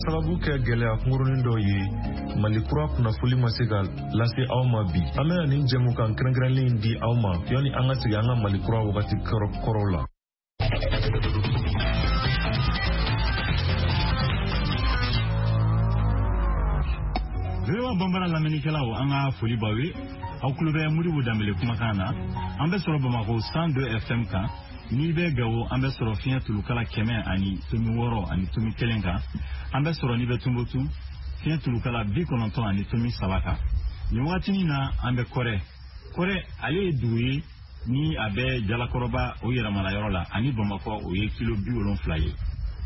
Sababu kɛ gɛlɛya kunkurunin dɔ ye, Mali kura kunnafoli ma se ka lase aw ma bi. An bɛna nin jɛmukan kɛrɛnkɛrɛnlen in di aw ma yanni an ka segin an ka Mali kura wagati kɔrɔw la. VOA Bambara lamɛnnikɛlaw, an ka foli b'aw ye. Aw tulo bɛ Modibo Danbele kumakan na. An bɛ sɔrɔ Bamakɔ 102 FM kan. N'i bɛ Gawo, an bɛ sɔrɔ fiɲɛ tulukala 100.6.1 kan. An bɛ sɔrɔ n'i bɛ Tunbutu, fiɲɛ tulukala 90.3 kan. Nin wagatinin na, an bɛ Kɔrɛ. Kɔrɛ, ale ye dugu ye ni a bɛ Jalakɔrɔba o yɛrɛmara yɔrɔ la, ani Bamakɔ o ye kilo 70 ye.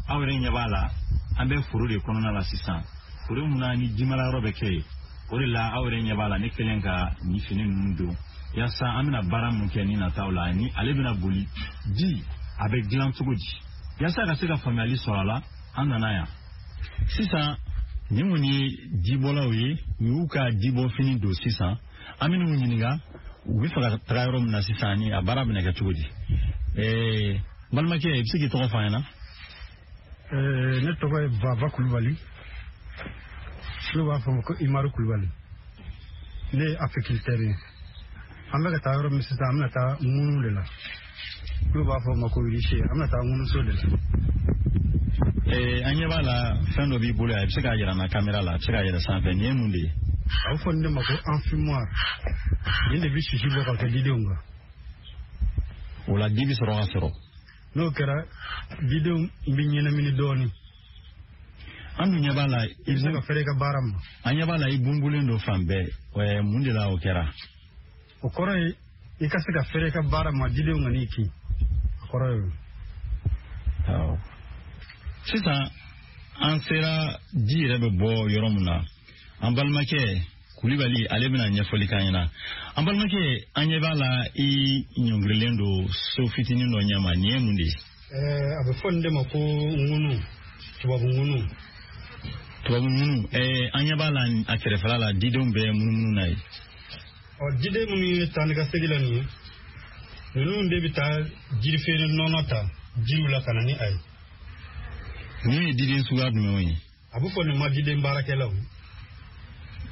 Aw yɛrɛ ɲɛ b'a la, an bɛ foro de kɔnɔna la sisan, foro mun na ni jimara yɔrɔ bɛ kɛ yen. O de la aw yɛrɛ ɲɛ b'a la, ne kɛlen ka nin fini ninnu don yaasa an bɛna baara mun kɛ ni nataw la, ni ale bɛna boli ji a bɛ dilan cogo di, yaasa ka se ka faamuyali sɔrɔ a la, an nana yan sisan. Nin kɔni ye jibɔlaw ye, u y'u ka jibɔfini don sisan. An bɛn'u ɲininka u bɛ fɛ ka taga yɔrɔ min na sisan, ni a baara bɛna kɛ cogo di. Balimakɛ, i bɛ se k'i tɔgɔ fɔ an ɲɛna? Ne tɔgɔ ye Baba Kulubali, n'u b'a fɔ ma ko Imaru Kulubali. Ne ye apiculteur ye. An bɛ ka taa yɔrɔ min sisan, an bɛna taa ŋunu de la, n'u b'a fɔ ma ko rucher. An bɛna taa ŋunuso de la. An ɲɛ b'a la, fɛn dɔ b'i bolo yan, i bɛ se k'a yira n na kamera la, a bɛ se k'a yɛlɛ sanfɛ. Nin ye mun de ye? A bɛ fɔ nin de ma ko enfumoir. Nin de bɛ sisi bɔ ka kɛ didenw kan. O la di bɛ sɔrɔ ka sɔrɔ. N'o kɛra, didenw bɛ ɲɛnamini dɔɔnin. An dun ɲɛ b'a la, i bɛ se ka fɛrɛ i ka baara ma. An ɲɛ b'a la, i bunbulen don fan bɛɛ. Mun de la o kɛra? O kɔrɔ ye i ka se ka fɛrɛ i ka baara ma, didenw ka n'i kin. O kɔrɔ ye o. Awɔ. Sisan an sera ji yɛrɛ bɛ bɔ yɔrɔ min na. An balimakɛ Kulibali, ale bɛna ɲɛfɔli k'an ɲɛna. An balimakɛ, an ɲɛ b'a la, i ɲɔngirilen don so fitinin dɔ ɲɛma. Nin ye mun de ye? A bɛ fɔ nin de ma ko ŋunu, tubabu ŋunu. Tubabu ŋunu. An ɲɛ b'a la, a kɛrɛfɛla la, didenw bɛ munumunu na ye. Ɔ, diden minnu ye taa ni ka segin la nin ye, ninnu de bɛ taa jirifeere nɔnɔ ta jiriw la ka na ni a ye. Ninnu ye diden suguya jumɛnw ye? A bɛ fɔ nin ma diden baarakɛlaw.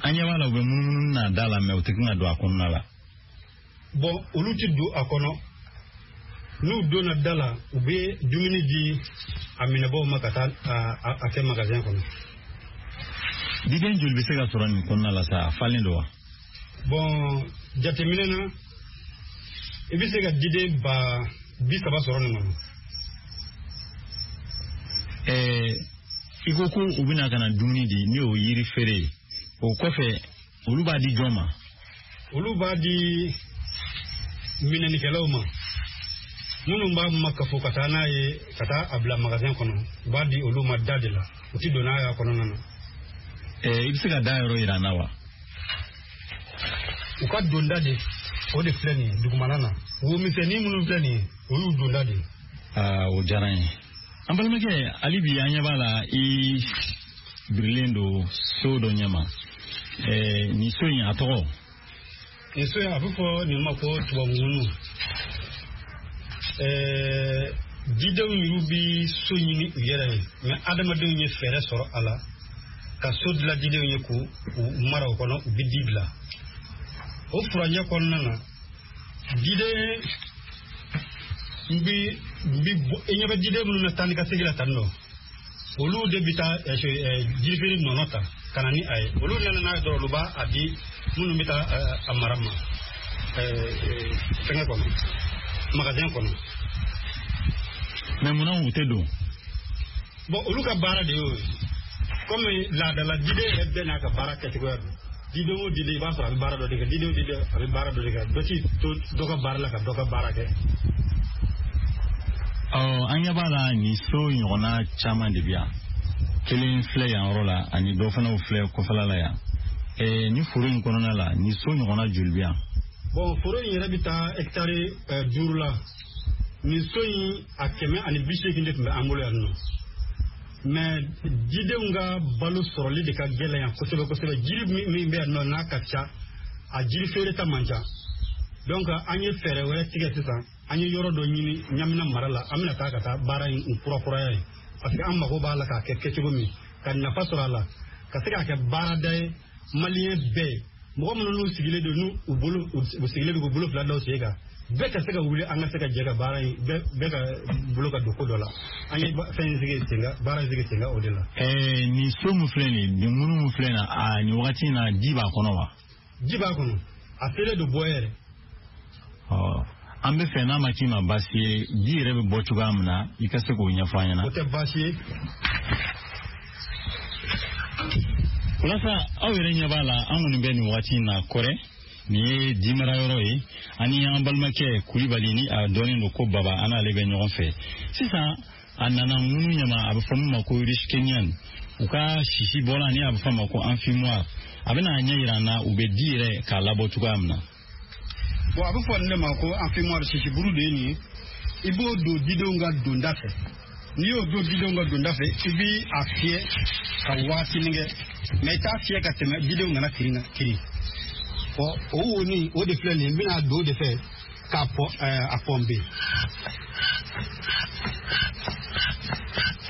An ɲɛ b'a la, u bɛ munumunu n'a da la, mɛ u tɛ kan ka don a kɔnɔna la. Bɔn, olu tɛ don a kɔnɔ. N'u donna da la, u bɛ dumuni di a minɛbaaw ma ka taa a kɛ magasin kɔnɔ. Diden joli bɛ se ka sɔrɔ nin kɔnɔna la sa? A falen don wa? Bɔn, jateminɛ na, i bɛ se ka diden 30 000 sɔrɔ nin kɔnɔ. I ko ko u bɛna ka na dumuni di, ni o yiri feere ye, o kɔfɛ olu b'a di jɔn ma? Olu b'a di minɛnikɛlaw ma, minnu b'a makafo ka taa n'a ye, ka taa a bila magasin kɔnɔ. U b'a di olu ma da de la, u ti don n'a y'a kɔnɔna na. I bɛ se ka da yɔrɔ yira an na wa? U ka donda de, o de filɛ nin ye dugumana na. Wo misɛnnin minnu filɛ nin ye, o y'u donda de ye. Aa, o diyara n ye. An balimakɛ, hali bi an ɲɛ b'a la, i birilen don so dɔ ɲɛma. Nin so in, a tɔgɔ? Nin so in, a bɛ fɔ nin ma ko tubabu ŋunu. Didenw yɛrɛ bɛ so ɲini u yɛrɛ ye, mɛ adamadenw ye fɛɛrɛ sɔrɔ a la ka so dilan didenw ye k'u mara o kɔnɔ, u bɛ di bila o furancɛ kɔnɔna na. Diden bi bi, i ɲɛ bɛ diden minnu na taa ni ka segin la tan nɔ, olu de bɛ taa jirifeere nɔnɔ ta ka na ni a ye. Olu nana n'a ye dɔrɔn, olu b'a a di minnu bɛ taa a mara ma fɛngɛ kɔnɔ, magasin kɔnɔ. Mɛ munna u tɛ don? Bɔn, olu ka baara de y'o ye. Komi laadala diden yɛrɛ bɛɛ n'a ka baara kɛcogoya don. Diden o diden, i b'a sɔrɔ a bɛ baara dɔ de kɛ. Diden o diden, a bɛ baara dɔ de kɛ. Dɔ ti to dɔ ka baara la ka dɔ ka baara kɛ. Ɔ, an ɲɛ b'a la, nin so ɲɔgɔnna caman de bɛ yan. Kelen filɛ yan yɔrɔ la, ani dɔ fana filɛ kɔfɛla la yan. Nin foro in kɔnɔna la, nin so ɲɔgɔnna joli bɛ yan? Bɔn, foro in yɛrɛ bɛ taa hɛkitari 5 la. Nin so in, a 180 de tun bɛ an bolo yan nɔ. Mɛ jidenw ka balo sɔrɔli de ka gɛlɛn yan kosɛbɛ kosɛbɛ. Jiri min bɛ yan nɔ, n'a ka ca, a jiri feere ta man ca. Donc an ye fɛɛrɛ wɛrɛ tigɛ sisan. An ye yɔrɔ dɔ ɲini Ɲamina mara la. An bɛna taa ka taa baara in kurakuraya ye, parce que an mago b'a la k'a kɛ kɛcogo min. ka nafa sɔrɔ a la, ka se k'a kɛ baarada ye maliyɛn bɛɛ ye. Mɔgɔ minnu n'u sigilen don, n'u bolo u sigilen don k'u bolo fila da u sen kan, bɛɛ ka se ka wuli, an ka se ka jɛ ka baara in, bɛɛ ka bolo ka don ko dɔ la. An ye fɛn in sigi sen kan, baara in sigi sen kan o de la. Nin so min filɛ nin ye, nin ŋunu min filɛ nin ye, a nin wagati in na ji b'a kɔnɔ wa? Ji b'a kɔnɔ, a selen don bɔ yɛrɛ. Ɔ, an bɛ fɛ n'a ma k'i ma baasi ye, ji yɛrɛ bɛ bɔ cogoya min na, i ka se k'o ɲɛfɔ an ɲɛna. O tɛ baasi ye. Walasa aw yɛrɛ ɲɛ b'a la, an kɔni bɛ nin wagati in na Kɔrɛ, nin ye jimara yɔrɔ ye, ani an balimakɛ Kulibali ni a dɔnnen don ko Baba, an n'ale bɛ ɲɔgɔn fɛ sisan. A nana ŋunu ɲama, a bɛ fɔ min ma ko Ruskenian, u ka sisi bɔla ni a bɛ fɔ a ma ko enfumoir. A bɛna a ɲɛ yira an na u bɛ di yɛrɛ k'a labɔ cogoya min na. Bon, a bɛ fɔ nin de ma ko enfumoir, sisiburu de ye nin ye. I b'o don didenw ka donda fɛ. N'i y'o don didenw ka donda fɛ, i bɛ a fiyɛ ka waatinin kɛ, mais i t'a fiyɛ ka tɛmɛ, didenw kana kirin kirin. Ɔ, o wonin o de filɛ nin ye, n bɛna don o de fɛ k'a pɔ a pɔnpe.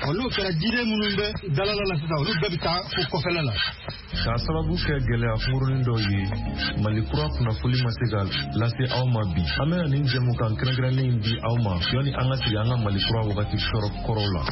Ɔ, n'o kɛra, jiden minnu bɛ dalala la sisan, olu bɛɛ bɛ taa fo kɔfɛla la. K'a sababu kɛ gɛlɛya kunkurunin dɔw ye, Mali kura kunnafoli ma se ka lase aw ma bi. An bɛna nin jɛmukan kɛrɛnkɛrɛnnen in di aw ma yanni an ka sigi an ka Mali kura wagati sɔrɔ kɔrɔw la.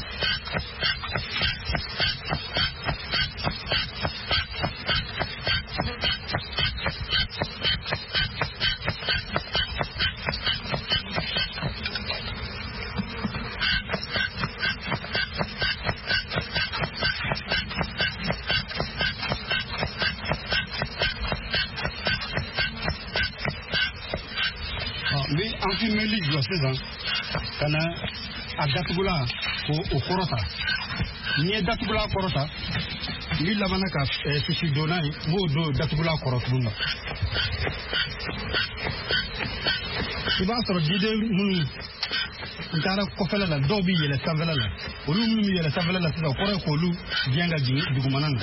N bɛ enfumeli jɔ sisan ka na a datugulan k'o kɔrɔta. N'i ye datugulan kɔrɔta, n bɛ laban ka sisi donna ye, n b'o don datugulan kɔrɔ tuguni. I b'a sɔrɔ jiden minnu n taara kɔfɛla la, dɔw bɛ yɛlɛ sanfɛla la. Olu minnu bɛ yɛlɛ sanfɛla la sisan, o kɔrɔ ye k'olu gɛn ka jigin dugumana na.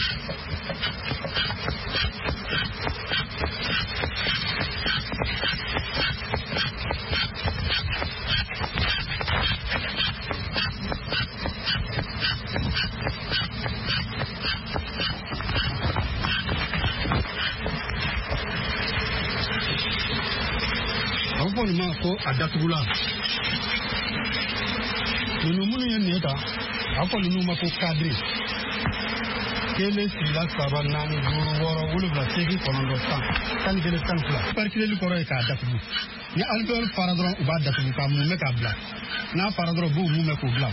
A bɛ fɔ nin ma ko a datugulan. Ninnu minnu ye nin ta, a bɛ fɔ ninnu ma ko kadiri. 1, 2, 3, 4, 5, 6, 7, 8, 9, 10, 11, 12. Parikileli kɔrɔ ye k'a datugu. Ni alvéole fara dɔrɔn, u b'a datugu k'a mumɛ k'a bila. N'a fara dɔrɔn, u b'u mumɛ k'o bila.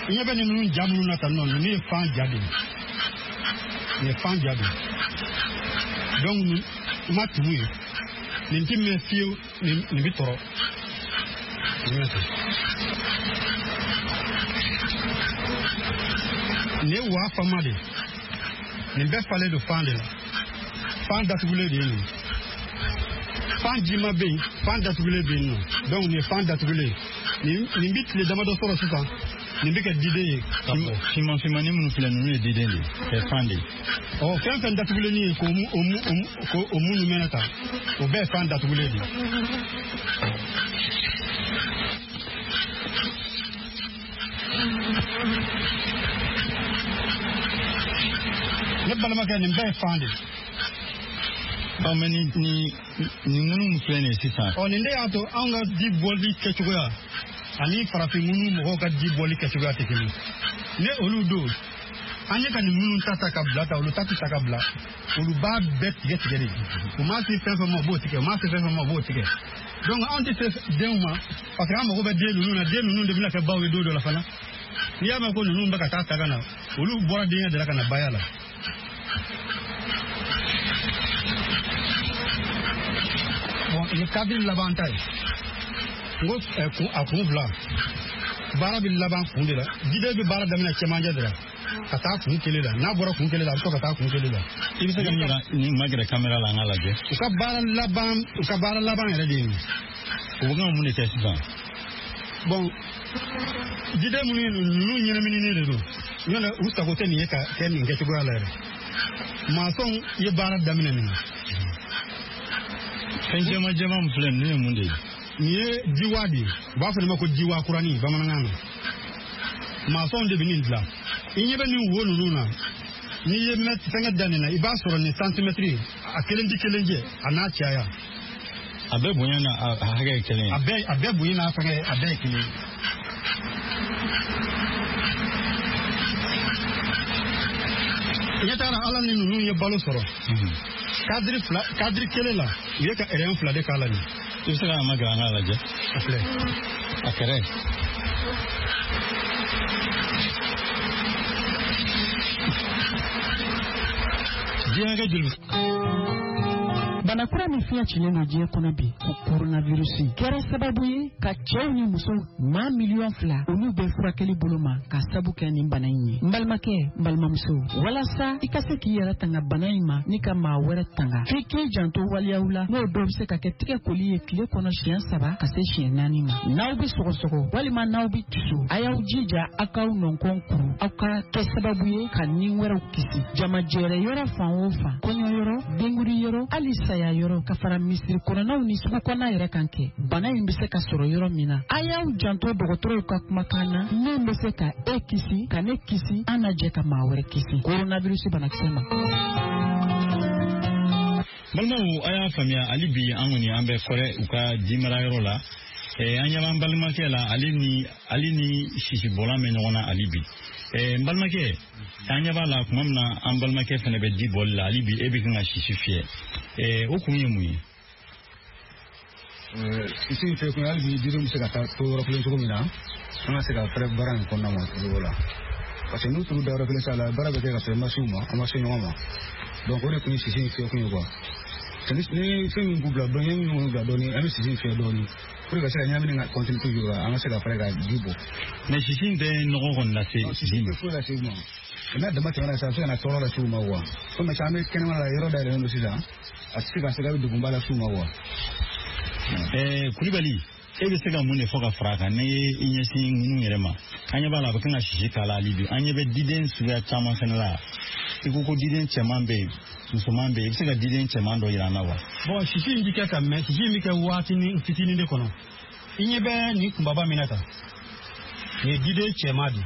I ɲɛ bɛ nin ninnu ja minnu na tan nɔ, ninnu ye fan ja de ye. Nin ye fan ja de ye. Donc nin ma tumu ye. Nin ti mɛn fiyewu, nin bɛ tɔrɔ. Nin bɛ ten. Nin ye waa fama de ye. Nin bɛɛ falen don fan de la. Fan datugulen de ye nin ye. Fan jima bɛ yen, fan datugulen bɛ yen nɔ. Donc nin ye fan datugulen ye. Nin bɛ tile damadɔ sɔrɔ sisan, nin bɛ kɛ diden ye ka bɔ. Finman finmannin minnu filɛ, ninnu ye diden de ye, ɛ fan de ye. Ɔ, fɛn fɛn datugulen ye k'o minnu mɛnɛ tan, o bɛɛ ye fan datugulen de ye. Ne balimakɛ, nin bɛɛ ye fan de ye. Ɔ, mais nin nin ŋunu min filɛ nin ye sisan. Ɔ, nin de y'a to anw ka ji bɔli kɛcogoya ani farafin ŋunu mɔgɔw ka ji bɔli kɛcogoya tɛ kelen. Ne olu don, an ye ka nin minnu ta ta ka bila ta, olu ta tɛ ta ka bila. Olu b'a bɛɛ tigɛ tigɛ de. U m'a se fɛn fɛn ma, u b'o tigɛ. U m'a se fɛn fɛn ma, u b'o tigɛ. Donc anw tɛ se denw ma, parce que an mago bɛ den ninnu na. Den ninnu de bɛna kɛ baw ye don dɔ la fana. N'i y'a mɛn ko ninnu bɛ ka taa ta ka na, olu bɔra denkɛ de la ka na baya la. Bon, nin kadiri laban ta ye. N ko a kun fila. Baara bɛ laban kun de la. Jiden bɛ baara daminɛ cɛmancɛ de la ka taa kun kelen la. N'a bɔra kun kelen la, a bɛ to ka taa kun kelen la. I bɛ se ka min yira nin magɛrɛ kamera la, an k'a lajɛ. U ka baara laban yɛrɛ de ye nin ye. U bɛ kan ka mun de kɛ sisan? Bon, jiden minnu ye ninnu ɲɛnamininen de don. N'o tɛ, u sago tɛ nin ye ka kɛ nin kɛcogoya la yɛrɛ. Maçon ye baara daminɛ nin na. Fɛn jɛman jɛman min filɛ, ninnu ye mun de ye? Nin ye jiwa de ye. U b'a fɔ nin ma ko jiwa kuranin bamanankan na. Maçon de bɛ nin dilan. I ɲɛ bɛ nin wo ninnu na, n'i ye fɛngɛ da nin na, i b'a sɔrɔ nin santimɛtiri a kelen tɛ kelen jɛ, a n'a caya. A bɛɛ bonya n'a hakɛ ye kelen ye. A bɛɛ bonya n'a fɛngɛ, a bɛɛ ye kelen ye. I ɲɛ t'a la, ala ni ninnu ye balo sɔrɔ. Kadiri fila, kadiri kelen la, u ye ka ɛrɛn fila de k'a la nin. I bɛ se k'a magɛrɛ an k'a lajɛ. A filɛ. A kɛrɛ. Ji hakɛ joli? Bana kura min fiɲɛ cilen don diɲɛ kɔnɔ bi, ko koronavirusi, kɛra sababu ye ka cɛw ni musow maa 2 miliyɔn olu bɛ furakɛli bolo ma ka sabu kɛ nin bana in ye. N balimakɛ, n balimamuso, walasa i ka se k'i yɛrɛ tanga bana in ma ni ka maa wɛrɛ tanga, f'i k'i janto waleyaw la, n'o dɔw bɛ se ka kɛ tigɛ koli ye tile kɔnɔ siɲɛ saba ka se siɲɛ naani ma. N'aw bɛ sɔgɔsɔgɔ walima n'aw bɛ tiso, a y'aw jija aw k'aw nɔnkɔn kuru, aw ka kɛ sababu ye ka ni wɛrɛw kisi. Jamajɛrɛ yɔrɔ fan o fan, kɔɲɔyɔrɔ, denkundi yɔrɔ, hali saya yɔrɔ, ka fara misiri kɔnɔnaw ni sugu kɔnɔna yɛrɛ kan kɛ, bana in bɛ se ka sɔrɔ yɔrɔ min na, a y'aw janto dɔgɔtɔrɔw ka kumakan na min bɛ se ka e kisi, ka ne kisi, an na jɛ ka maa wɛrɛ kisi koronavirusi banakisɛ ma. Balimaw, a y'a faamuya, hali bi an kɔni an bɛ Kɔrɛ, u ka jimarayɔrɔ la. An ɲɛ b'an balimakɛ la, ale ni sisibɔlan bɛ ɲɔgɔn na hali bi. N balimakɛ, an ɲɛ b'a la tuma min na, an balimakɛ fana bɛ ji bɔli la hali bi, e bɛ kan ka sisi fiyɛ. O kun ye mun ye? Sisi in fɛ kun, hali bi didenw bɛ se ka taa to yɔrɔ kelen cogo min na, an ka se ka fɛrɛ baara in kɔnɔna ma cogo la, parce que n'u turu da yɔrɔ kelen sa la, baara bɛ kɛ ka sɔrɔ i ma se u ma, an ma se ɲɔgɔn ma. Donc o de kun ye sisi in fiyɛ kun ye quoi. Ni fɛn min k'u bila dɔɔni, min k'u bila dɔɔni, an bɛ sisi in fiyɛ dɔɔni pour que ka se ka ɲɛnamini ka continuer toujours, an ka se ka fɛrɛ ka ji bɔ. Mais sisi in tɛ nɔgɔ kɔni lase? Sisi in tɛ foyi lase u ma. N'a dama tɛmɛna sisan, a bɛ se ka na tɔɔrɔ lase u ma quoi. Komi an bɛ kɛnɛma la, yɔrɔ dayɛlɛlen don sisan, a tɛ se ka se k'a bɛ degunba lase u ma quoi. Kulibali, e bɛ se ka mun de fɔ ka fara a kan n'i ye i ɲɛsin ŋunu yɛrɛ ma? An ɲɛ b'a la, a bɛ kan ka sisi k'a la hali bi. An ɲɛ bɛ diden suguya caman fɛnɛ la. I ko ko diden cɛman bɛ yen, musoman bɛ yen. I bɛ se ka diden cɛman dɔ yira an na wa? Bon, sisi in bɛ kɛ ka mɛn, sisi in bɛ kɛ waatinin fitinin de kɔnɔ. I ɲɛ bɛ nin kunbaba min na tan, nin ye diden cɛman de ye.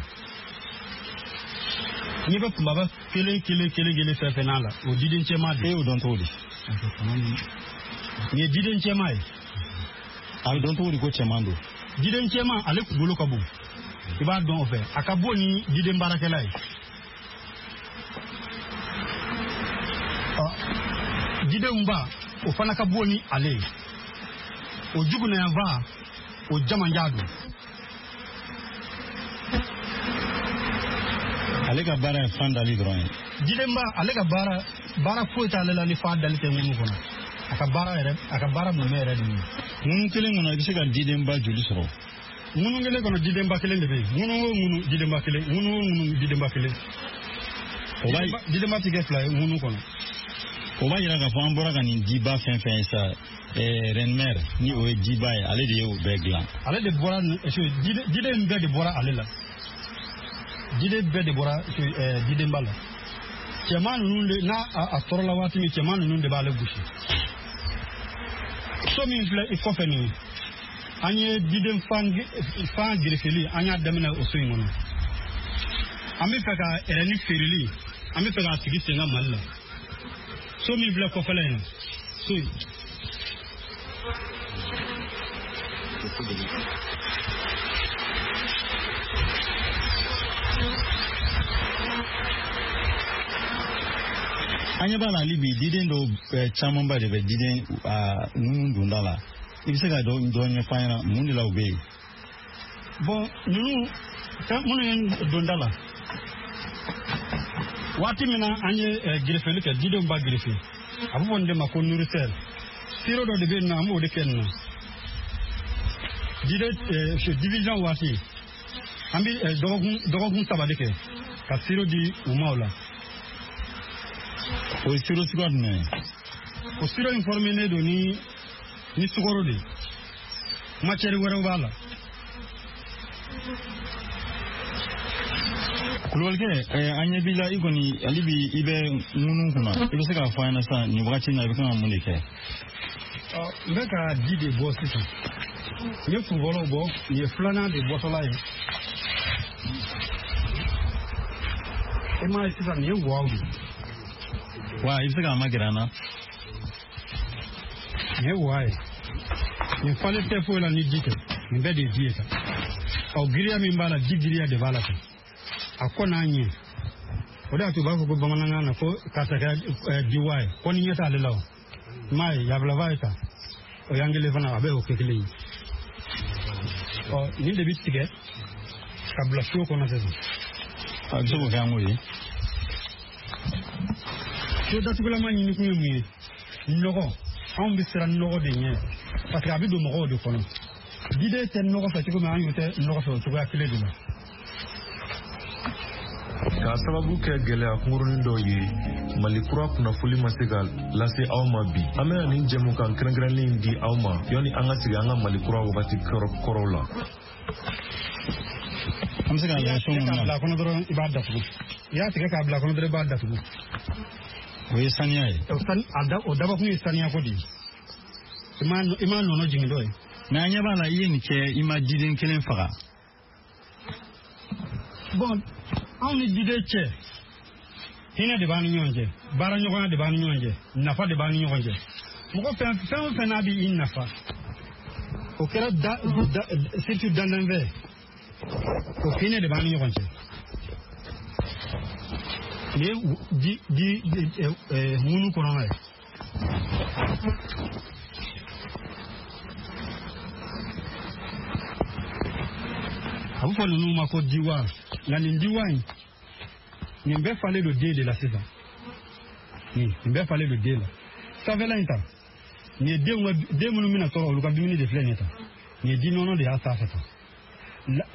I ɲɛ bɛ kunbaba kelen kelen kelen kelen fɛn fɛn n'a la, o diden cɛman de E ye. y'o dɔn cogo di? Nin ye diden cɛman ye. A bɛ dɔn cogo di ko cɛman don? Diden cɛman, ale kunkolo ka bon, i b'a dɔn o fɛ, a ka bon ni diden baarakɛla ye. Ɔ, didenw ba, o fana ka bon ni ale ye. O jugunayanfa, o jamanjan don. Ale ka baara ye fan dali dɔrɔn ye? Didenba, ale ka baara, baara foyi t'ale la ni fa dali tɛ ŋunu kɔnɔ. A ka baara yɛrɛ, a ka baara mumɛ yɛrɛ de ye. Ŋunu kelen kɔnɔ, i bɛ se ka didenba joli sɔrɔ? Ŋunu kelen kɔnɔ, didenba kelen de bɛ yen. Ŋunu o ŋunu, didenba kelen. Ŋunu o ŋunu, didenba kelen. O b'a Didenba ti kɛ fila ye ŋunu kɔnɔ. O b'a yira k'a fɔ an bɔra ka nin diba fɛn fɛn ye sa, reine mère ni o ye diba ye, ale de ye o bɛɛ dilan? Ale de bɔra diden bɛɛ de bɔra ale la. Diden bɛɛ de bɔra didenba la. Cɛman ninnu de n'a a tɔɔrɔla waati min, cɛman ninnu de b'ale gosi. So min filɛ i kɔfɛ nin ye, an ye diden fan gerefeli, an y'a daminɛ o so in kɔnɔ. An bɛ fɛ ka ɛrɛni feereli, an bɛ fɛ k'a sigi sen kan Mali la. So min filɛ kɔfɛla in na, so in. An ɲɛ b'a la hali bi, diden dɔw camanba de bɛ diden a ŋunu donda la. I bɛ se ka dɔ dɔ ɲɛfɔ an ɲɛna mun de la u bɛ yen? Bon, ninnu fɛn minnu ye donda la, waati min na an ye gerefeli kɛ, didenw b'a gerefe, a bɛ fɔ nin de ma ko nourrisseur. Sirop dɔ de bɛ yen nɔ, an b'o de kɛ nin na. Diden division waati, an bɛ dɔgɔkun 3 de kɛ ka sirop di u ma o la. O ye sirop suguya jumɛn ye? O sirop in formé don ni sukaro de ye, matière wɛrɛw b'a la. Kulubalikɛ, an ɲɛ b'i la, i kɔni hali bi i bɛ ŋunu kunna. I bɛ se k'a fɔ an ɲɛna sisan, nin wagati in na, i bɛ kan ka mun de kɛ? Ɔ, n bɛ ka ji de bɔ sisan. N ye kun fɔlɔ bɔ, nin ye filanan de bɔtɔla ye. E m'a ye sisan, nin ye waw de. Wa i bɛ se k'a magɛrɛ an na. Nin ye wa ye. Nin falen tɛ foyi la ni ji tɛ. Nin bɛɛ de ye ji ye sa. Ɔ, giriya min b'a la, ji giriya de b'a la ten. A kɔ n'a ɲɛ. O de y'a to u b'a fɔ ko bamanankan na ko karisa kɛra diwa ye. Ko ni ɲɛ t'ale la o. I m'a ye, yabilaba ye tan. O y'an kelen fana, a bɛ o kɛ kelen ye. Ɔ, nin de bɛ tigɛ ka bila seau kɔnɔ sisan. A bɛ se k'o kɛ an k'o ye. Seau datugulama ɲini kun ye mun ye? Nɔgɔ. Anw bɛ siran nɔgɔ de ɲɛ parce que a bɛ don mɔgɔw de kɔnɔ. Jiden tɛ nɔgɔ fɛ cogo min, an y'o tɛ nɔgɔ fɛ o cogoya kelen de la. K'a sababu kɛ gɛlɛya kunkurunin dɔ ye, Mali kura kunnafoli ma se ka lase aw ma bi. An bɛna nin jɛmukan kɛrɛnkɛrɛnlen di aw ma yanni an ka sigi an ka Mali kura wagati kɔrɔw la. An bɛ se k'a lajɛ so mun na. K'a bila kɔnɔ dɔrɔn, i b'a datugu. I y'a tigɛ k'a bila kɔnɔ dɔrɔn, i b'a datugu. O ye saniya ye. O dabɔkun ye saniya ko de ye. I m'a nɔnɔ jigin dɔ ye. Mais an ɲɛ b'a la, i ye nin kɛ, i ma jiden kelen faga. Bon, anw ni jiden cɛ, hinɛ de b'an ni ɲɔgɔn cɛ, baaraɲɔgɔnya de b'an ni ɲɔgɔn cɛ, nafa de b'an ni ɲɔgɔn cɛ. Mɔgɔ fɛn o fɛn n'a b'i nafa, o kɛra da surtout dandanfɛn, o hinɛ de b'an ni ɲɔgɔn cɛ. Nin ye ji ŋunu kɔnɔna ye. A bɛ fɔ ninnu ma ko diwa. Nka nin diwa in, nin bɛɛ falen don den de la sisan. Nin bɛɛ falen don den la. Sanfɛla in ta, nin ye denw ka den minnu bɛna tɔɔrɔ, olu ka dumuni de filɛ nin ye tan. Nin ye di nɔnɔ de y'a sanfɛ tan.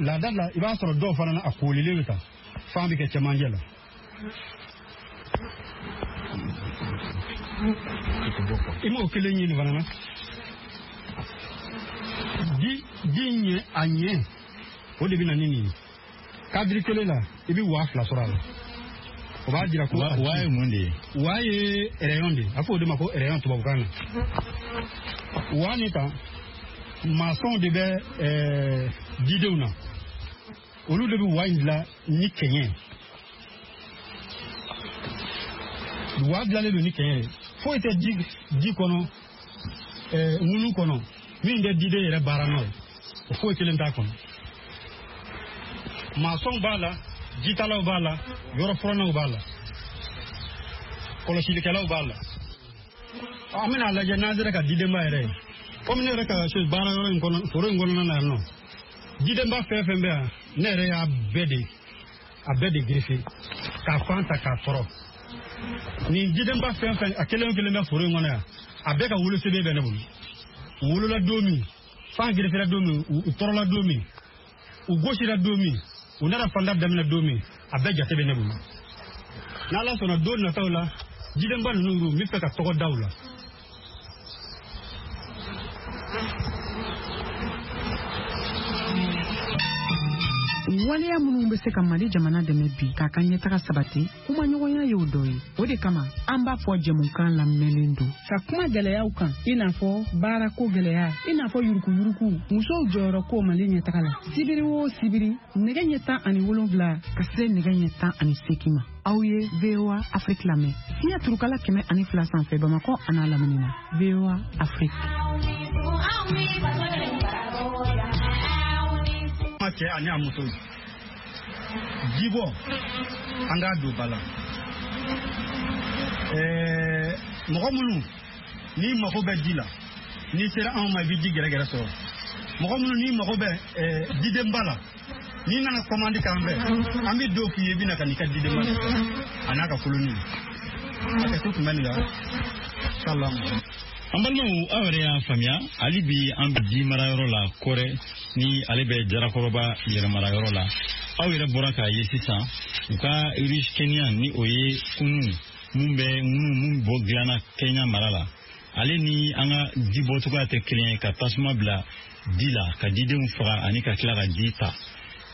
Laada la, i b'a sɔrɔ dɔw fana na, a koolilen bɛ tan. Fan bɛ kɛ cɛmancɛ la. I m'o kelen ye nin fana na. Ji ɲɛ a ɲɛ, o de bɛ na ni nin ye. Kadiri kelen la, i bɛ 2000 sɔrɔ a la. O b'a jira ko wa ye mun de ye? Wa ye rayon de ye. A fɔ o de ma ko rayon tubabukan na. Wa nin tan, maçon de bɛ jidenw na. Olu de bɛ wa in dilan ni kɛɲɛ. Wa dilanlen don ni kɛɲɛ ye. Foyi tɛ ji kɔnɔ, ŋunu kɔnɔ, min tɛ jiden yɛrɛ baara nɔ ye. O foyi kelen t'a kɔnɔ. Maçon b'a la, jitalaw b'a la, yɔrɔ furannaw b'a la, kɔlɔsilikɛlaw b'a la. An bɛna lajɛ n'an sera ka jidenba yɛrɛ ye. Komi ne yɛrɛ ka baara yɔrɔ in kɔnɔ, foro in kɔnɔna na yan nɔ, jidenba fɛn fɛn bɛ yan, ne yɛrɛ y'a bɛɛ de gerefe k'a fan ta k'a tɔrɔ. Nin jidenba fɛn fɛn, a kelen o kelen bɛ foro in kɔnɔ yan, a bɛɛ ka wolosɛbɛn bɛ ne bolo. U wolola don min, fan gerefera don min, u tɔrɔla don min, u gosira don min, u nana fanda daminɛ don min, a bɛɛ jate bɛ ne bolo. N'Ala sɔnna, don nataw la, jidenba ninnu, n bɛ fɛ ka tɔgɔ da u la. Waleya minnu bɛ se ka Mali jamana dɛmɛ bi k'a ka ɲɛtaga sabati, kumaɲɔgɔnya y'o dɔ ye. O de kama an b'a fɔ jɛmukan lamɛnlen don ka kuma gɛlɛyaw kan, i n'a fɔ baarako gɛlɛya, i n'a fɔ yurukuyuruku, musow jɔyɔrɔ ko Mali ɲɛtaga la. Sibiri o sibiri, nɛgɛ ɲɛ 17 ka se nɛgɛ ɲɛ 18 ma. Aw ye VOA Afrique lamɛn. Fiɲɛ turukala 102 sanfɛ Bamakɔ an'a lamini na. VOA Afrique. Cɛ ani a muso, jibɔ an k'a don ba la. Mɔgɔ minnu n'i mago bɛ ji la, n'i sera anw ma, i bɛ ji gɛrɛgɛrɛ sɔrɔ. Mɔgɔ minnu n'i mago bɛ jidenba la, n'i nana kɔmandi k'an fɛ, an bɛ don k'i ye, i bɛ na ka n'i ka jidenba a n'a ka koloni. A kɛ to tun bɛ nin la. Salamu. An balimaw, aw yɛrɛ y'a faamuya, hali bi an bɛ ji marayɔrɔ la Kɔrɛ, ni ale bɛ Jarakɔrɔba yɛrɛmarayɔrɔ la. Aw yɛrɛ bɔra k'a ye sisan, u ka riche Kenya, ni o ye kunu mun bɛ ŋunu mun bɔ dilanna Kenya mara la, ale ni an ka ji bɔcogoya tɛ kelen ye, ka tasuma bila ji la ka jidenw faga ani ka tila ka ji ta.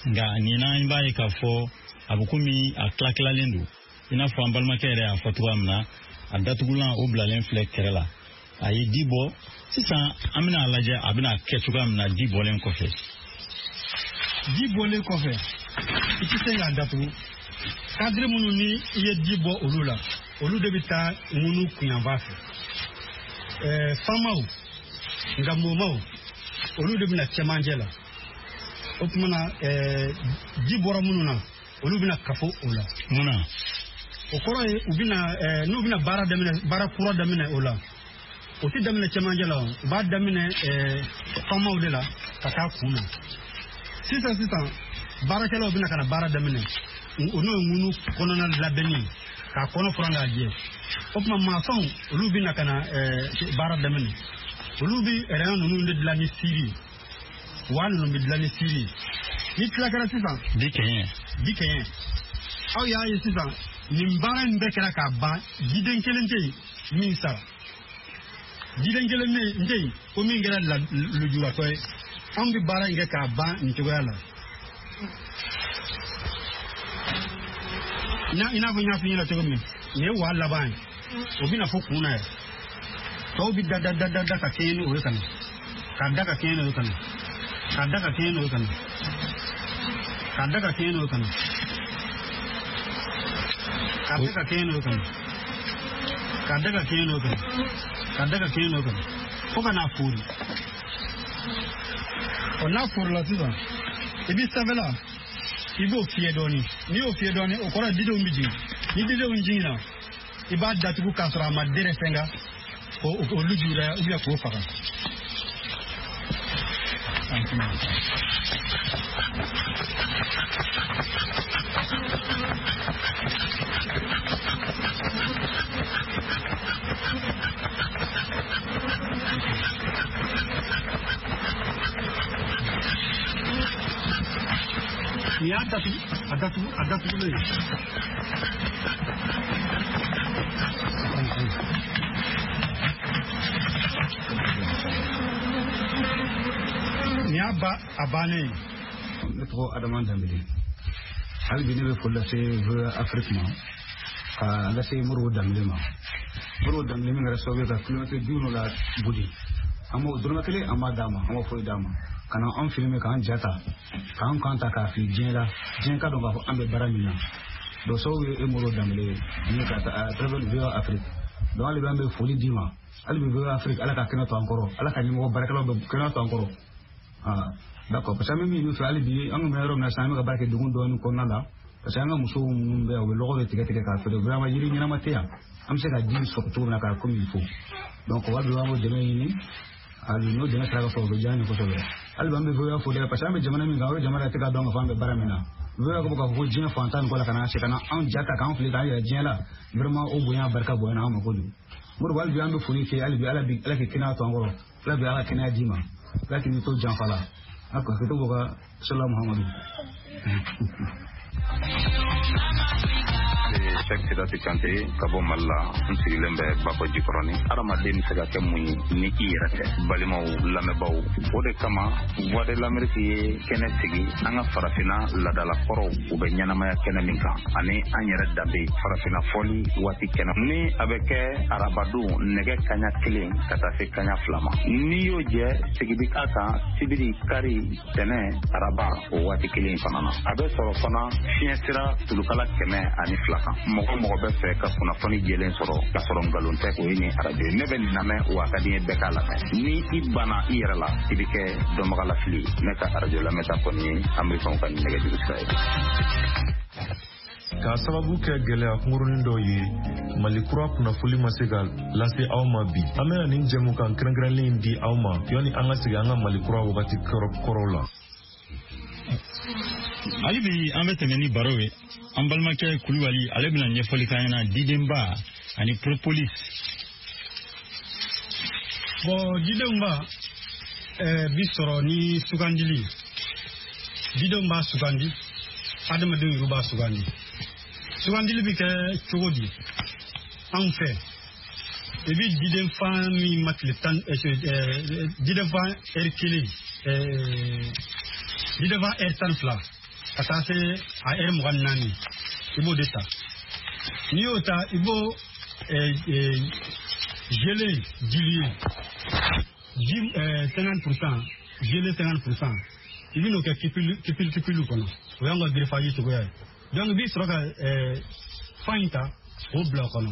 Nka nin na, an b'a ye k'a fɔ a bɛ komi a tila-tilalen don, i n'a fɔ an balimakɛ yɛrɛ y'a fɔ cogoya min na. A datugulan o bilalen filɛ kɛrɛ la. A ye ji bɔ sisan, an bɛna a lajɛ a bɛna kɛ cogoya min na ji bɔlen kɔfɛ. Ji bɔlen kɔfɛ, i tɛ se k'a datugu. Cadre minnu ni i ye ji bɔ olu la, olu de bɛ taa ŋunu kunyanfan fɛ. Famaw, nganbomaw, olu de bɛna cɛmancɛ la. O tuma na ji bɔra minnu na, olu bɛna kafo o la. Mun na? O kɔrɔ ye u bɛna n'u bɛna baara daminɛ, baara kura daminɛ o la, o tɛ daminɛ cɛmancɛ la, u b'a daminɛ famaw de la ka taa kun na. Sisan sisan baarakɛlaw bɛna ka na baara daminɛ, o n'o ye ŋunu kɔnɔna labɛnni ye, k'a kɔnɔ furan k'a jɛ. O tuma maçonw olu bɛna ka na baara daminɛ, olu bɛ rɛn ninnu de dilan ni siri, wa ninnu bɛ dilan ni siri. Ni tila kɛra sisan, bi kɛɲɛ, bi kɛɲɛ, aw y'a ye sisan nin baara in bɛɛ kɛra k'a ban, jiden kelen tɛ yen min sara, jiden kelen tɛ yen ko min kɛra lujuratɔ ye. Anw bɛ baara in kɛ k'a ban nin cogoya la. I n'a fɔ n y'a f'i ɲɛna cogo min, nin ye waa laban ye, o bɛna fɔ kun na yɛrɛ. Tɔw bɛ da da da da da ka kɛɲɛ ni o ye ka na, k'a da ka kɛɲɛ n'o ye ka na, k'a da ka kɛɲɛ n'o ye ka na, k'a da ka kɛɲɛ n'o ye ka na, k'a da ka kɛɲɛ n'o ye ka na, k'a da ka kɛɲɛ n'o ye ka na, k'a da ka kɛɲɛ n'o ye ka na, fo ka n'a fori. Ɔ n'a forila sisan, i bɛ sanfɛla i b'o fiyɛ dɔɔni. N'i y'o fiyɛ dɔɔni, o kɔrɔ ye didenw bɛ jigin. Ni didenw jiginna, i b'a datugu k'a sɔrɔ a ma dɛrɛ fɛn kan, k'o lujura ou bien k'o faga. Nin y'a datugu, a datugu, a datugulen ye. Nin y'a ba a bannen ye. Ne tɔgɔ Adama Danbele. Hali bi ne bɛ foli lase VOA Afrique ma, ka lase Modibo Danbele ma. Modibo Danbele min kɛra sababu ye ka kilomɛtiri 50 boli. An b'o dɔrɔmɛ kelen an b'a d'a ma, an b'o foyi d'a ma. Ka na anw filime k'an ja ta, k'an kan ta k'a fili diɲɛ la, diɲɛ ka dɔn k'a fɔ an bɛ baara min na. Donc sababu ye e Modibo Danbele ye, ani ka à travers VOA Afrique. Donc hali bi an bɛ foli d'i ma. Hali bi VOA Afrique, Ala ka kɛnɛ to an kɔrɔ, Ala ka ɲɛmɔgɔ baarakɛlaw bɛ kɛnɛ to an kɔrɔ. Ah, d'accord, parce que an bɛ min ɲini fɛ hali bi, an kun bɛ yɔrɔ min na sisan, an bɛ ka baara kɛ degun dɔɔni kɔnɔna la. Parce que an ka musow minnu bɛ yan, u bɛ lɔgɔ de tigɛ tigɛ k'a feere. Vraiment yiri ɲɛnama tɛ yan, an bɛ se ka ji sɔrɔ cogo min na k'a comme il faut. Donc hali bi an b'o dɛmɛ ɲini, hali n'o dɛmɛ sera ka sɔrɔ, o bɛ diya an ye kosɛbɛ. Hali bi an bɛ VOA fo dɛ, parce que an bɛ jamana min kan, o jamana tɛ ka dɔn k'a fɔ an bɛ baara min na. VOA ko k'a fɔ ko diɲɛ fantan ni kɔ la ka na se ka na anw ja ta k'an fili k'an yɛrɛ diɲɛ la, vraiment o bonya barika bonyana an ma kojugu. Modibo, hali bi an bɛ foli kɛ, hali bi Ala k'i kɛnɛya to an kɔrɔ, Ala bi Ala kɛnɛya d'i ma, Ala k'i to janfa la. A ka to bɔ ka sala Muhamadu. Cheikh Sidati Kante ka bɔ Mali la, n sigilen bɛ Bakɔ Jikɔrɔni. Hadamaden bɛ se ka kɛ mun ye ni i yɛrɛ tɛ? Balimaw, lamɛnbaaw, o de kama Voix de l'Amérique ye kɛnɛ sigi an ka farafinna laadalakɔrɔw u bɛ ɲɛnamaya kɛnɛ min kan, ani an yɛrɛ danbe farafinna fɔli waati kɛnɛ ni a bɛ kɛ arabadon nɛgɛ kaɲa 1 ka taa se kaɲa 2 ma. N'i y'o jɛ, sigi bɛ k'a kan sibiri, kari, tɛnɛ, araba o waati kelen fana na. A bɛ sɔrɔ fana fiɲɛ sira tulukala 102 kan. Mɔgɔ mɔgɔ bɛ fɛ ka kunnafoni jɛlen sɔrɔ k'a sɔrɔ nkalon tɛ, o ye nin arajo ye. Ne bɛ nin lamɛn wa a ka di n ye bɛɛ k'a lamɛn. Ni i banna i yɛrɛ la, i bɛ kɛ dɔnbagalafili ye. Ne ka arajo lamɛnta kɔni ye Amerikɛnw ka nɛgɛjuru sira ye. K'a sababu kɛ gɛlɛya kunkurunin dɔ ye, Mali kura kunnafoli ma se ka lase aw ma bi. An bɛna nin jɛmukan kɛrɛnkɛrɛnlen in di aw ma yanni an ka segin an ka Mali kura wagati kɔrɔw la. Hali bi an bɛ tɛmɛ ni baro ye. An balimakɛ Kulubali, ale bɛna ɲɛfɔli k'an ɲɛna didenba ani propolis. Bon, didenw ba bi sɔrɔ ni sugandili. Didenw b'a sugandi, adamadenw yɛrɛ b'a sugandi. Sugandili bɛ kɛ cogo di? Anw fɛ, i bɛ diden fan min ma tile 10, diden fan ɛri 1, diden fan ɛri 12 ka taa se a ɛri 24, i b'o de ta. N'i y'o ta, i b'o gelé dilué, ji 50%, gelé 50%, i bɛ n'o kɛ kipili kɔnɔ. O y'anw ka greffage cogoya ye. Donc i bɛ sɔrɔ ka fan in ta k'o bila o kɔnɔ.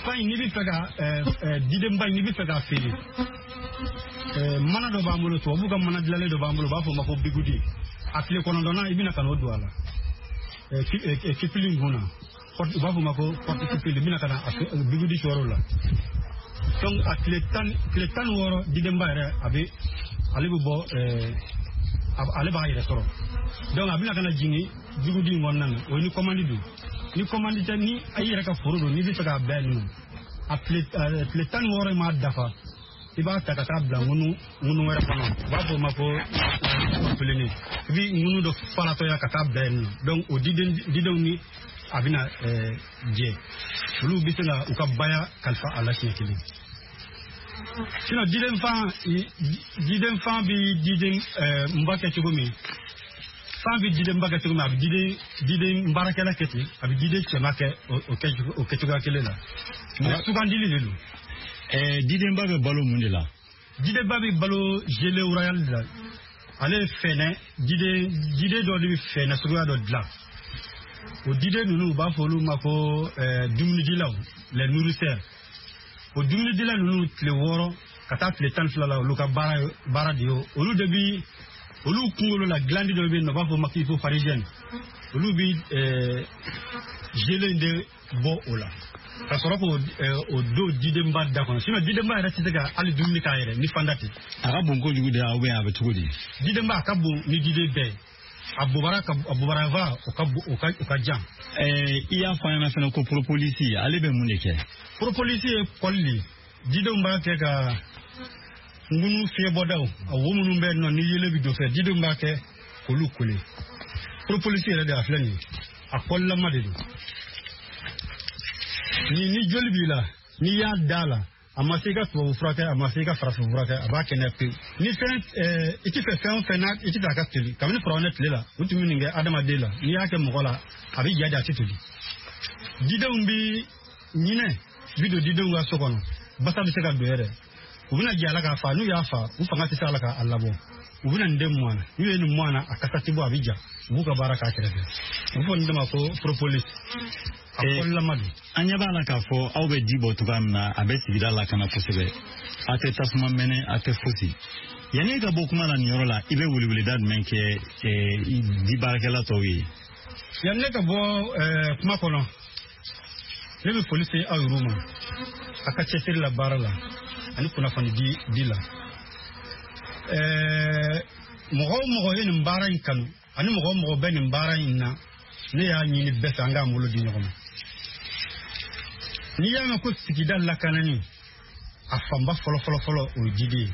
Fan in, n'i bɛ fɛ ka didenba in, n'i bɛ fɛ k'a feere, mana dɔ b'an bolo, tubabuw ka mana dilanlen dɔ b'an bolo, u b'a fɔ o ma ko bigudi. A tile 9nan, i bɛna ka n'o don a la cupule in kun na, u b'a fɔ o ma ko porte cupule. I bɛna ka na bigudi sɔrɔ o la. Donc a tile 16, didenba yɛrɛ, a bɛ ale bɛ bɔ, ale b'a yɛrɛ sɔrɔ. Donc a bɛna ka na jigin bigudi in kɔnɔna na. O ye ni commande don. Ni commande tɛ, ni i yɛrɛ ka foro don, n'i bɛ fɛ k'a bɛɛ yen nɔ, a tile 16 in m'a dafa, i b'a ta ka taa bila ŋunu wɛrɛ kɔnɔ, u b'a fɔ o ma ko pelene. I bɛ ŋunu dɔ falatɔya ka taa bila yen nɔ. Donc o didenw ni a bɛna jɛ, olu bɛ se ka u ka baya kalifa a la siɲɛ kelen. Sinon diden fan bɛ diden nba kɛ cogo min, fan bɛ didenba kɛ cogo min, a bɛ diden baarakɛla kɛ ten, a bɛ diden cɛma kɛ o kɛcogoya kelen la. Mais sugandili de don. Didenba bɛ balo mun de la? Didenba bɛ balo gelée royale de la. Ale ye fɛnɛ diden dɔ de bɛ fɛnɛ suguya dɔ dilan. O diden ninnu, u b'a fɔ olu ma ko dumunidilaw, les nourrisseurs. O dumunidila ninnu, tile 6 ka taa tile 12 la, olu ka baara de ye olu de bi olu kunkolo la glande dɔ bɛ yen nɔ, u b'a fɔ o ma hypopharyngienne. Olu bi gelée in de bɔ o la ka sɔrɔ k'o o don didenba da kɔnɔ. Sinon didenba yɛrɛ tɛ se ka hali dumuni k'a yɛrɛ ni fanda tɛ. A ka bon kojugu de, ou bien a bɛ cogo di? Didenba, a ka bon ni diden bɛɛ ye. A bobara ka, a bobara o ka o ka o ka jan. I y'a fɔ an ɲɛna fana ko propolis, ale bɛ mun de kɛ? Propolis ye kɔli de ye. Didenw b'a kɛ ka ŋunu fiɲɛbɔdaw, a wo minnu bɛ yen nɔ ni yelen bɛ don fɛ, didenw b'a kɛ k'olu kole. Propolis yɛrɛ de, a filɛ nin ye, a kɔlilama de don. Ni joli b'i la, n'i y'a da la, a ma se i ka tubabu furakɛ, a ma se i ka farafin furakɛ, a b'a kɛnɛya pewu. Ni fɛn i ti fɛ fɛn o fɛn n'a i ti fɛ a ka toli, kabini firawunɛ tile la, u tun bɛ nin kɛ adamaden la. N'i y'a kɛ mɔgɔ la, a bɛ ja de, a tɛ toli. Didenw bi ɲinɛ bi don didenw ka so kɔnɔ, basa bɛ se ka don yɛrɛ. U bɛna jɛ a la k'a fa. N'u y'a fa, u fanga tɛ se a la k'a labɔ, u bɛna nin den mɔn na. N'u ye nin mɔn na, a kasa tɛ bɔ, a bɛ ja. U b'u ka baara k'a kɛrɛfɛ. U bɛ fɔ nin de ma ko propolis, a kɔlilama don. An ɲɛ b'a la k'a fɔ aw bɛ ji bɔ cogoya min na, a bɛ sigida lakana kosɛbɛ. A tɛ tasuma mɛnɛ, a tɛ fosi. Yanni e ka bɔ kuma la nin yɔrɔ la, i bɛ weleweleda jumɛn kɛ di baarakɛla tɔw ye? Yanni ne ka bɔ kuma kɔnɔ, ne bɛ foli se aw yɛrɛw ma, a ka cɛsiri la baara la ani kunnafoni di la. Mɔgɔ o mɔgɔ ye nin baara in kanu, ani mɔgɔ o mɔgɔ bɛ nin baara in na, ne y'a ɲini bɛɛ fɛ, an k'an bolo di ɲɔgɔn ma. N'i y'a mɛn ko sigida lakanani, a fanba fɔlɔ fɔlɔ fɔlɔ, o ye jiden ye.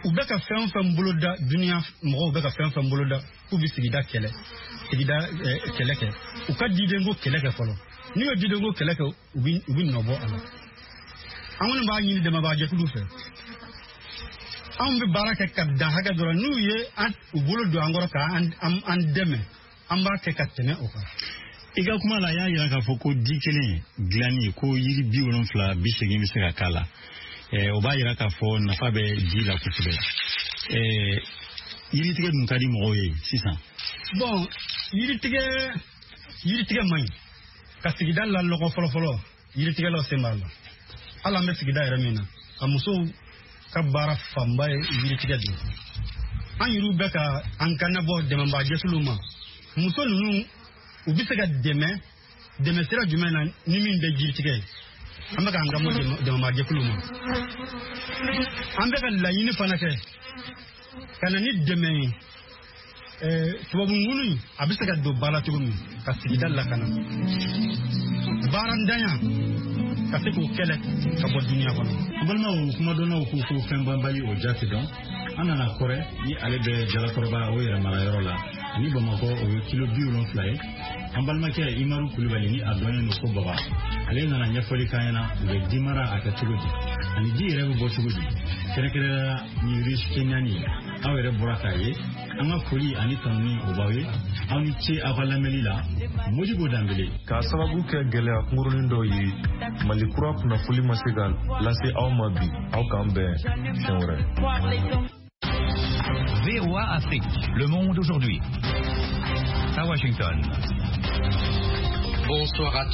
U bɛ ka fɛn o fɛn boloda, duniya mɔgɔw bɛ ka fɛn o fɛn boloda k'u bɛ sigida kɛlɛ, sigida kɛlɛ kɛ, u ka didenko kɛlɛ kɛ fɔlɔ. N'u ye didenko kɛlɛ kɛ, u bɛ nɔ bɔ a la. An kɔni b'a ɲini dɛmɛbagajɛkulu fɛ, anw bɛ baara kɛ ka dan hakɛ dɔ la, n'u ye u bolo don an kɔrɔ k'an dɛmɛ, an b'a kɛ ka tɛmɛ o kan. I ka kuma la, a y'a jira k'a fɔ ko di kelen dilanni ko yiri 70, 80 bɛ se ka k'a la. O b'a jira k'a fɔ nafa bɛ ji la kosɛbɛ. Yiritigɛ dun ka di mɔgɔw ye sisan. Bon, yiritigɛ man ɲi ka sigida lalɔgɔ fɔlɔ fɔlɔ. Yiritigɛlaw sen b'a la. Hali an bɛ sigida yɛrɛ min na, a musow ka baara fanba ye yiritigɛ de ye. An yɛrɛw bɛ ka an kannabɔ dɛmɛbagajɛkuluw ma. Muso ninnu, u bɛ se ka dɛmɛ dɛmɛ sira jumɛn na ni min tɛ jiritigɛ ye? An bɛ k'an kanbɔ dɛmɛbagajɛkuluw ma. An bɛ ka laɲini fana kɛ ka na ni dɛmɛ ye, tubabu ŋunu in, a bɛ se ka don ba la cogo min ka sigida lakana, baarantanya ka se k'o kɛlɛ ka bɔ duniya kɔnɔ. N balimaw, kumadɔnnaw ko ko fɛn banbali, o ja tɛ dɔn. An nana Kɔrɛ ni ale bɛ Jalakɔrɔba o yɛrɛ marayɔrɔ la, ani Bamakɔ, o ye kilo 70 ye. An balimakɛ Imaru Kulubali, ni a dɔnnen don ko Baba, ale nana ɲɛfɔli k'an ɲɛna u bɛ di mara a kɛ cogo di, ani ji yɛrɛ bɛ bɔ cogo di, kɛrɛnkɛrɛnnenya ni risque naani. Aw yɛrɛ bɔra k'a ye. An ka foli ani tanuni o b'aw ye. Aw ni ce aw ka lamɛnni la. Modibo Danbele. K'a sababu kɛ gɛlɛya kunkurunin dɔw ye, Mali kura kunnafoli ma se ka lase aw ma bi. Aw k'an bɛn siɲɛ wɛrɛ. VOA Afrique, le monde aujourd'hui. À Washington. Bonsoir à tous.